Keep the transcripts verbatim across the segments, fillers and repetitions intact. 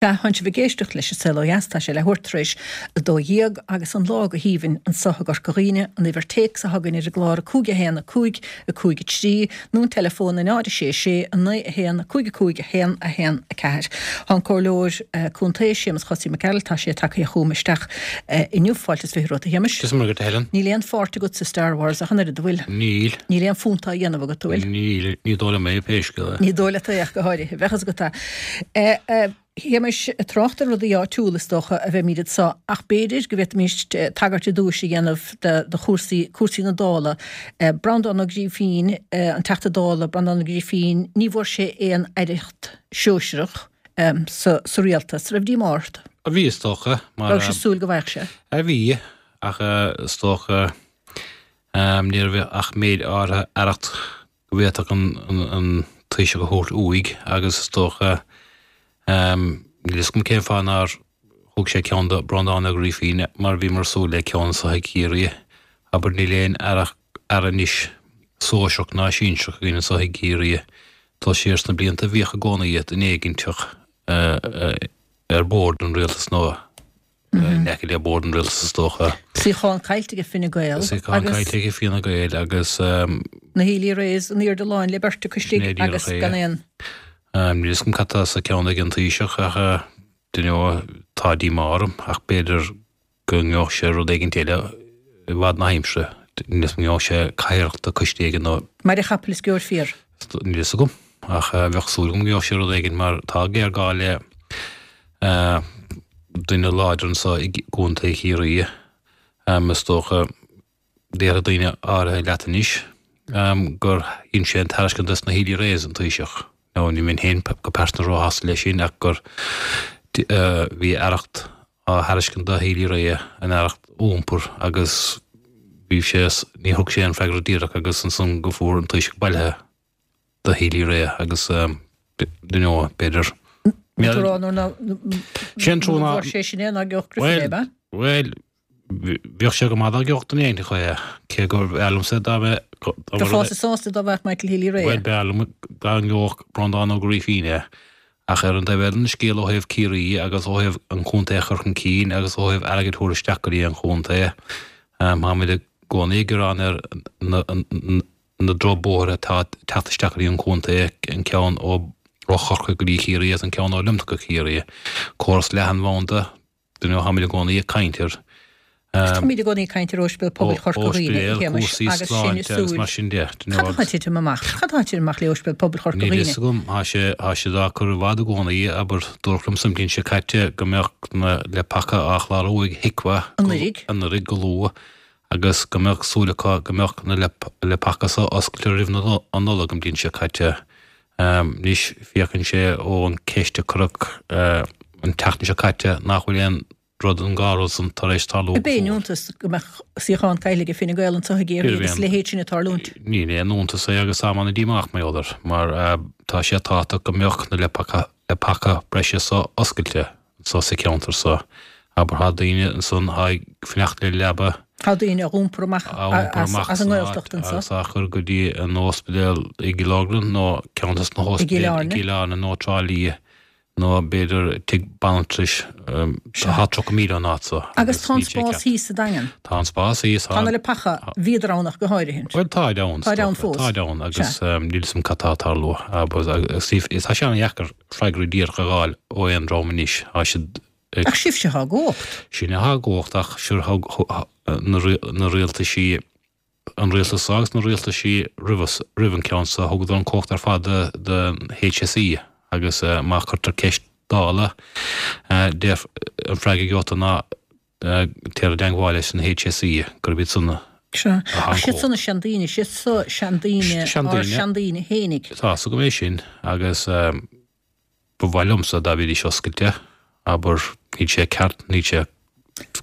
Sea, tánn sibh ag éisteacht leis An Saol Ó Dheas, tá sé leathuair tar éis a dó dhéag agus an lá go haoibhinn anseo i gCorca Dhuibhne, an uimhir téacs atá againn ar an gclár a cúig a haon a cúig a cúig a trí nó an teileafón a náid a sé a sé a naoi a haon a cúig a cúig a haon a haon a ceathair. Tá an Comhairleoir Contae, Séamus Chosaí Mac Gearailt, tá sé tagtha chugam isteach inniu. Fáilte is fiche romhat, a Shéamais. Is maith agat, a Helen. Níl aon pháirt agat sa Star Wars ach an oiread, an bhfuil? Níl. Níl aon phunt á dhéanamh agat, an bhfuil? Níl, ní dóigh liom é pé scéal é. Ní dóigh leat é ach go háirithe. Bheadh fhios agat é. Shéamais, ag trácht ar rudaí áitiúla is dócha a bheimid anseo ach b'fhéidir go bhféadfaimis tagairt ar dtúis a dhéanamh do chúrsaí, cúrsaí na Dála. Breandán Ó Grífín, an Teachta Dála Breandán Ó Grífín, ní bhfuair sé aon aireacht shóisearach sa sa rialtas. Raibh díomá ort? Bhí is dócha, mar. Raibh sé súil go bhfaigheadh sé? Bhí, ach is dócha ní raibh ach méid áirithe aireacht go bhféadfadh an Taoiseach a thabhairt uaidh agus is dócha, níl fhios agam cén fáth nár thug sé ceann do Breandán Ó Grífín mar bhíomar ag súil le ceann anseo i gCiarraí. Abair níl aon aire anois sóisearach ná sinsearach againn anseo i gCiarraí. Dul siar sna blianta bhíodh i gcónaí duine éiginteach ar bord an rialtais nó in aice le bord an rialtais is dócha. Suíochán caillte ag Fine Gael Suíochán caillte ag Fianna Gael agus. Na Healy-Raes in airde lán le beirt acu istigh agus gan aon. Níl fhios agam cad tá sa cheann ag an Taoiseach ach you know, tá díomá orm ach b'fhéidir go ngeobhadh sé rud éigin eile i bhfad na haimsire. Níl fhios agam an ngeobhadh sé cathaoirleacht do coiste éigin nó. Mairg an chapaill is gheobhair fiar. Níl fhios agam ach bheadh súil agam go ngeobhadh sé rud éigin mar tá géarghá le duine láidir anseo i gContae Chiarraí is dócha. Déarfaidh daoine áirithe leat anois gur dhein sé an tairiscint dos na Healy-Raes, an Taoiseach. Now ní bheinn féin go pearsanta róshásta leis sin ach gur bhí aireacht á thairiscint do Healy-Rae, an aireacht iompair agus bhí sé, ní thug sé an freagra díreach agus ansan go fuair an Taoiseach bailithe do Healy-Rae agus you know, b'fhéidir. Sin trua ná sé sin é ná gheobhadh Griffin é, ab ea? Bhuel, Bheadh sé go maith dá gheobhadh duine éigin é, cé gur b'fhearr liomsa dá mbeadh. Bheifeása sásta dá bhfaigheadh Michael Healy-Rae é. Bhuel, b'fhearr liom dá ngeobhadh Breandán Ó Grífín é, ach ar an dtaobh eile den scéal ó thaobh Ciarraí agus ó thaobh an chontae a chur chun cinn agus ó thaobh airgead a thabhairt isteach go dtí an chontae, táimid i gcónaí ag gearán ar na drochbhóithre atá ag teacht isteach go dtí an chontae, an ceann ó Chorcaigh go dtí Ciarraí agus an ceann ó Luimneach go Ciarraí. Córas leathanbhanda. You know, táimid i gcónaí ag caint ar. Táimid i gcónaí ag caint ar Ospidéal Pobail Chorca Dhuibhne, a Shéamais, cúrsaí agus sinn ag sláinte agus súil. mar sin de. You know, Cad atá ag titim amach? Cad atá ag titim amach le Ospidéal Pobail Chorca Níl Dhuibhne? fhios agam, tá sé, tá siad á cur i bhfad i gcónaí, abair, dúradh liomsa an bhliain seo caite go mbeadh na leapacha á chlárú ag HIQA Anuraidh. anuraidh go luath agus go mbeadh súil acu go mbeadh na leapacha seo oscailte roimh an Nollaig an bhliain seo caite. Anois, féachann sé ón ceist a cuireadh an tseachtain seo caite nach bhfuil aon rud an dhá rud san tar éis tarlú Ab go é an fóill. iontas go mbeadh suíochán caillte ag Fine Gael anseo i gCiarraí agus a leithéid sin ag tarlúint? Ní aon iontas é agus táim an-díomách mar gheall air mar tá sé tábhachtach go mbeadh na leapacha breise so oscailte. anso sa cheantar so. Abair tá daoine ansan atá ag fanacht le leaba. Tá daoine á iompar amach á iompar amach as an nGaeltacht anso. Agus á chur go dtí an ospidéal i gCill Orglan nó ceann des na I gCill hóspidéil i Airne. gCill Airne nó Trá Lí nó b'fhéidir tigh banaltrais. Tá tríocha míle ón áit so Agus agus tá an níl sé spás ceart. thíos sa Daingean. Tá an spás thíos, Tá tá. na leapacha, bhíodar ann ach go háirithint. Bhuel táid ann, is Táid ann dócha. fós. Táid ann agus Sea. níl 'fhios a'm cad tá ag tarlú. Agus tá sé an-dheacair freagraí díreach a fháil ó aon dream anois. Tá siad ag. Ach sibhse atá i gcumhacht. Sinne atá i gcumhacht ach sure thug na rialtaisí, an rialtas seo agus na rialtaisí roimh, roimh an ceann seo, thugadar an cumhacht ar fad don HSE agus má chuirtear ceist Dála, deir an freagra a gheobhaidh tú ná téir i dteangmháil leis an HSE, gurb iad san a Sea. atá Ach an siad san cumhacht. na seandaoine, siad so seandaoine, ár Seandaoine. seandaoine fhéinig. Tá 's agam é sin agus. Ba mhaith liomsa dá mbeidís oscailte, abair, níl sé ceart, níl sé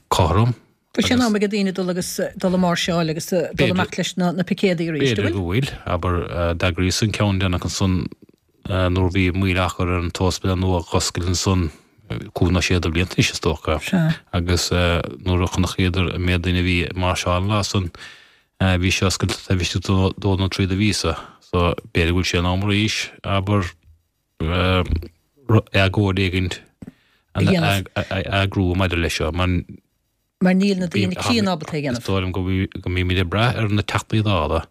cothrom Bhfuil sé in agus. am ag daoine dul agus dul ag máirseáil agus dul B'fhéidir. amach leis na picéadaí arís, an B'fhéidir bhfuil? go bhfuil, abair, d'eagraíos an ceann deireanach ansan nuair a bhí moill á chur ar an t-ospidéal nua a dh'oscailt ansan cúig nó sé de bhlianta anois is dócha Sea. agus nuair a chonacíodar an méid daoine a bhí ag máirseáil an lá san bhí sé oscailte taobh istigh de dó nó trí de mhíosa so b'fhéidir go bhfuil sé in am arís, abair. agóid éigint a dhéanamh. A eagrú maidir leis seo, mar. Mar níl na daoine críonna ábalta é a dhéanamh. Is dóigh liom go mbímid ag brath ar na Teachtaí Dála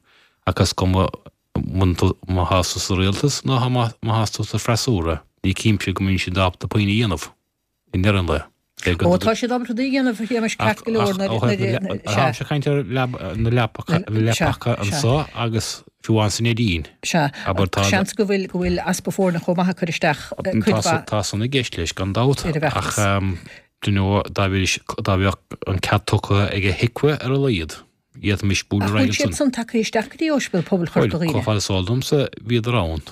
ach is cuma má thá tú sa rialtas nó má thá tú sa freasúra, ní cinnte go mbíonn siad ábalta puinn a dhéanamh i ndeireadh an lae. Ó tá siad ábalta rudaí a dhéanamh, a Shéamais, ceart go leor nuair a. Táimse ag caint ar na leapacha anseo agus fiú amháin sa Neidín. Sea, seans go bhfuil go bhfuil easpa foirne chomh maith ag cur isteach cuid mhaith. Tá san i gceist leis gan dabht ach do you know dá bheadh an cead tugtha ag HIQA ar a laghad, d'fhéadfaimis bualadh ar aghaidh ansan. Ach bhfuil siad san tagtha isteach go dtí Ospidéal Pobail Chorca Dhuibhne? Bhuel, chomh fada is eol domsa, bhíodar ann,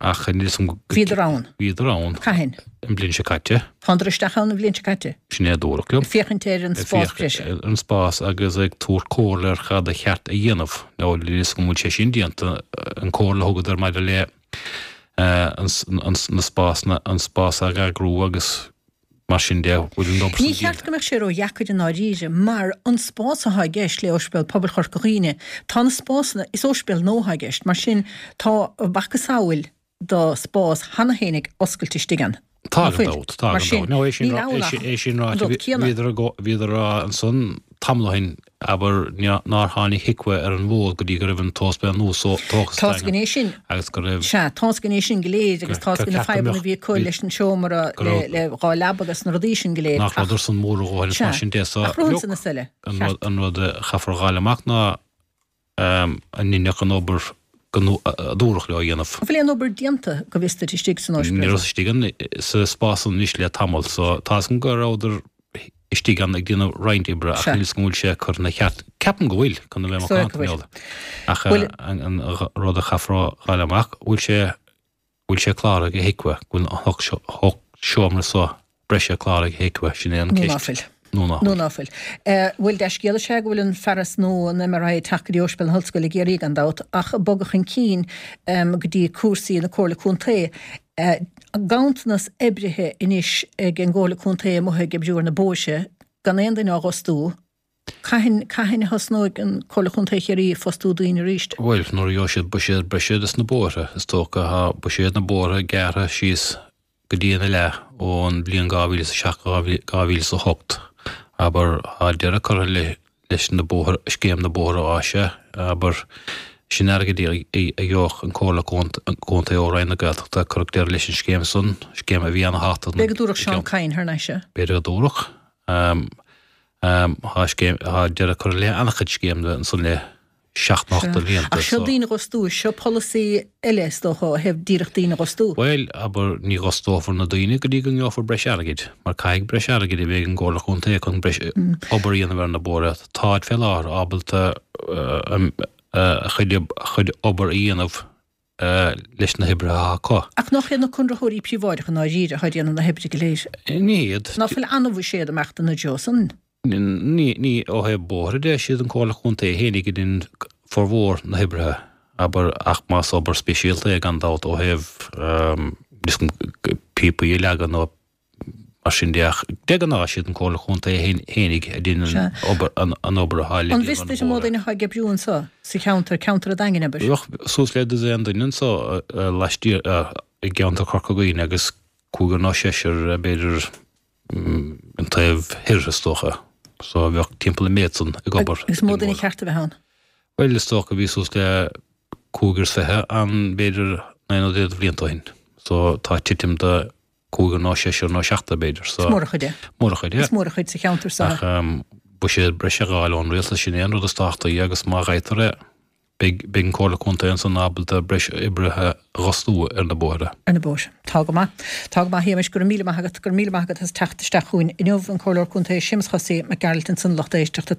ach níl 'fhios a'm go. Bhíodar ann? Bhíodar ann. Cathain? An bhliain seo caite. Thánadar isteach ann an bhliain seo caite? Sin é a dúradh liom. Ag féachaint ar an spás breise. Ag féachaint ar an spás agus ag tabhairt comhairle ar cad a cheart a dhéanamh. Now, níl 'fhios agam an bhfuil sé sin déanta, an comhairle a thugadar maidir le na spásanna, an spás a eagrú agus. Mar sin de, bhfuil an obair Ní cheart go mbeadh sé ródheacair i ndáiríre, mar an spás atá i gceist le Ospidéal Pobail Chorca Dhuibhne, tá na spásanna, is ospidéal nua atá i gceist, mar sin tá a mhacasamhail de spás cheana féin ag oscailt istigh ann. Tá Nach gan bhfuil? dabht, tá Mar gan sin, dabht. No, é sin níl ann é ach sin, é sin an ráite, rud céanna. bhíodar bhíodar a rá ansan tamall ó shin, abair, nár tháinig HIQA ar an bhfód go dtí go raibh an t-ospidéal nua so tógtha Tá 's againn é sin. agus go raibh. Sea, tá 's againn é sin go léir agus tá 's againn na fadhbanna a bhí acu leis an seomra le dhá leaba agus na rudaí sin go léir Nach ach. rabhadar san mór a dhóthain is Sea, mar sin de so ach rud look, san is eile. an Ceart. rud an rud a chaithfear a dh'fháil amach ná an ndeineadh an obair go a dúradh leo a dhéanamh. An bhfuil aon obair déanta go bhfios duit istigh san Ní ospidéal? rabhas istigh ann sa spás san anois le tamall so tá 's agam go rabhadar istigh ann ag déanamh roinnt oibre ach Sea. níl 's agam an bhfuil sé curtha ina cheart. Ceapaim go bhfuil, chun a bheith Is dóigh go macánta bhfuil. leod. Ach Bhfuil. an an rud a chaithfear a dh'fháil amach, bhfuil sé bhfuil sé cláraithe ag HIQA, go bhfuil an hocht hocht seomra so breise cláraithe ag HIQA, sin é an Nó ná ceist. fuil. Nó ná Nó fuil. ná fuil. Bhuel, dea-scéal is ea go bhfuil an fearas nua, an MRI, ag teacht go dtí Ospidéal na hOllscoile i gCiarraí gan dabht, ach bogadh chun cinn go dtí cúrsaí na Comhairle Contae. Ganntanas oibrithe anois ag an gComhairle Contae amuigh ag oibriú ar na bóithre, gan aon duine á bhfostú. Cathain, cathain a thosnóidh an Comhairle Chontae Chiarraí ag fostú daoine arís? Bhuel, nuair a gheobhaidh siad buiséad breise dos na bóithre, is dócha, tá buiséad na bóithre gearrtha síos go dtí ina leath ón bhliain dhá mhíle is a seacht go dhá mhíle is a hocht. Abair, tá deireadh curtha leis na bóithre, scéim na bóithre áise, abair, sin airgead a gheobhadh an Comhairle Contae ó Roinn na Gaeltachta, cuireadh deireadh leis an scéim san, scéim a bhí ana-thábhachtach B'fhéidir go dtabharfadh Seán Kyne thar n-ais é. B'fhéidir go dtabharfadh. Tá scéim, tá deireadh curtha le an-chuid scéimeanna ansan le seacht nó ocht de bhlianta. Ach seo daoine a dh'fhostú, seo polasaí eile is dócha ó thaobh díreach daoine a dh'fhostú. Bhuel, abair, ní dh'fhostófar na daoine go dtí go ngeofar breis airgid, mar caithfidh breis airgid a bheith ag an gComhairle Chontae chun breis obair a dhéanamh ar na bóithre. Táid fé láthair ábalta a chuid obair a dhéanamh leis na hoibrithe atá acu. Ach nach iad na conraitheoirí príobháideacha i ndáiríre atá ag déanamh na hoibre go léir? Ní hiad. Ná fuil an-bhuiséad ag imeacht ina dtreo san? Ní, ní, ó thaobh bóithre de, siad an Comhairle Chontae fhéinig a dhein formhór na hoibrithe, abair, ach más obair speisialta é gan dabht ó thaobh píopaí a leagan nó mar sin de ach de ghnáth siad an Comhairle Chontae fhéinig a dhein an obair, an obair atá le An déanamh bhfios ar na duit an mó bóithre. duine atá ag oibriú anseo sa cheantar, ceantar an Daingin, abair? Bheadh suas le dosaen duine anseo laistiar, i gceantar Chorca Dhuibhne agus cúigear nó seisear b'fhéidir an taobh thoir is dócha. So bheadh timpeall an méid san ag obair. Agus mó duine cheart a bheith ann? Bhuel is dócha bhí suas le cúigear is fiche ann b'fhéidir naoi nó deich de bhlianta ó shin. So tá titim de cúigear nó seisear nó seachtar b'fhéidir. Is mór a chuid é. Mór a chuid é. Is mór a chuid sa cheantar seo. Ach buiséad breise a dh'fháil ón rialtas sin é an rud is tábhachtaí agus má fhaightear é Beidh an Comhairle Contae ansan ábalta breis oibrithe a dh'fhostú ar na bóithre. Ar na bóithre. Tá go maith. Tá go maith, a Shéamais. Go raibh míle maith agat. Go raibh míle maith agat as teacht isteach chugainn inniu. An Comhairleoir Contae Séamus Chosaí Mac Gearailt ansan, lucht éisteachta.